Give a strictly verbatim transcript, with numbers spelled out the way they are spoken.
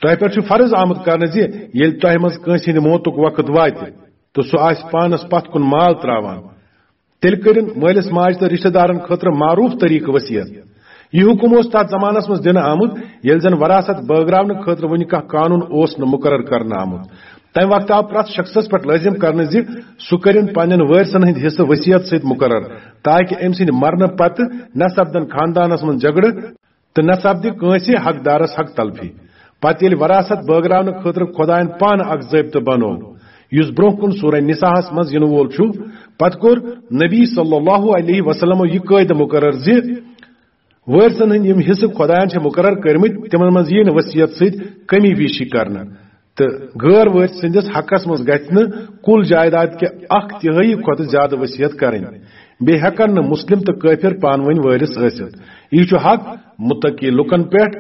تۄہہِ پٮ۪ٹھ چھُ فرض آمُت کرنہٕ زِ ییٚلہِ تۄہہِ منٛز کٲنٛسہِ ہٕنٛدِ موتُک وقت واتہِ تہٕ سُہ آسہِ پانس پتھ کُن مال تراوان، تیٚلہِ کٔرِن مٲلِس ماجہِ تہٕ رِشتہٕ دارن خٲطرٕ معروٗف طریٖقہٕ وصیت۔ یہِ حُکم اوس تتھ زمانس منٛز دِنہٕ آمُت، ییٚلہِ زن وراثت بٲگراونہٕ خٲطرٕ وُنہِ کانٛہہ قانون اوس نہٕ مُقرر کرنہٕ آمُت۔ تمہِ وقتہٕ آو پرٛٮ۪تھ شخصس پٮ۪ٹھ لٲزم کرنہٕ زِ سُہ کٔرِن پننٮ۪ن وٲرثن ہٕنٛدۍ حصہٕ وصیت سۭتۍ مُقرر، تاکہِ أمۍ سٕنٛدِ مرنہٕ پتہٕ نہ سپدن خاندانس منٛز جھگڑٕ تہٕ نہ سپدِ کٲنٛسہِ حقدارس حق تلفی۔ پتہٕ ییٚلہِ وراثت بٲگراونہٕ خٲطرٕ خۄداین پانہٕ اکھ ضٲبطہٕ بنوو، یُس برونٛہہ کُن سورہ نساہس منٛز یِنہٕ وول چھُ، پتہٕ کوٚر نبی صلی اللہ علیہ وسلمو یہِ قٲعدٕ مُقرر زِ وٲرثن ہٕنٛدۍ یِم حصہٕ خۄداین چھِ مُقرر کٔرمٕتۍ، تِمن منٛز ییہِ نہٕ وصیت سۭتۍ کمی بیشی کرنہٕ، تہٕ غٲر وٲرث سٕنٛدِس حقس منٛز گژھِ نہٕ کُل جائیداد کہِ اکھ تِہٲیی کھۄتہٕ زیادٕ وصیت کرٕنۍ۔ بیٚیہِ ہٮ۪کن نہٕ مسلم تہٕ کٲفر پانہٕ ؤنۍ وٲرث ٲسِتھ۔ یہِ چھُ حق متقی لُکن پٮ۪ٹھ،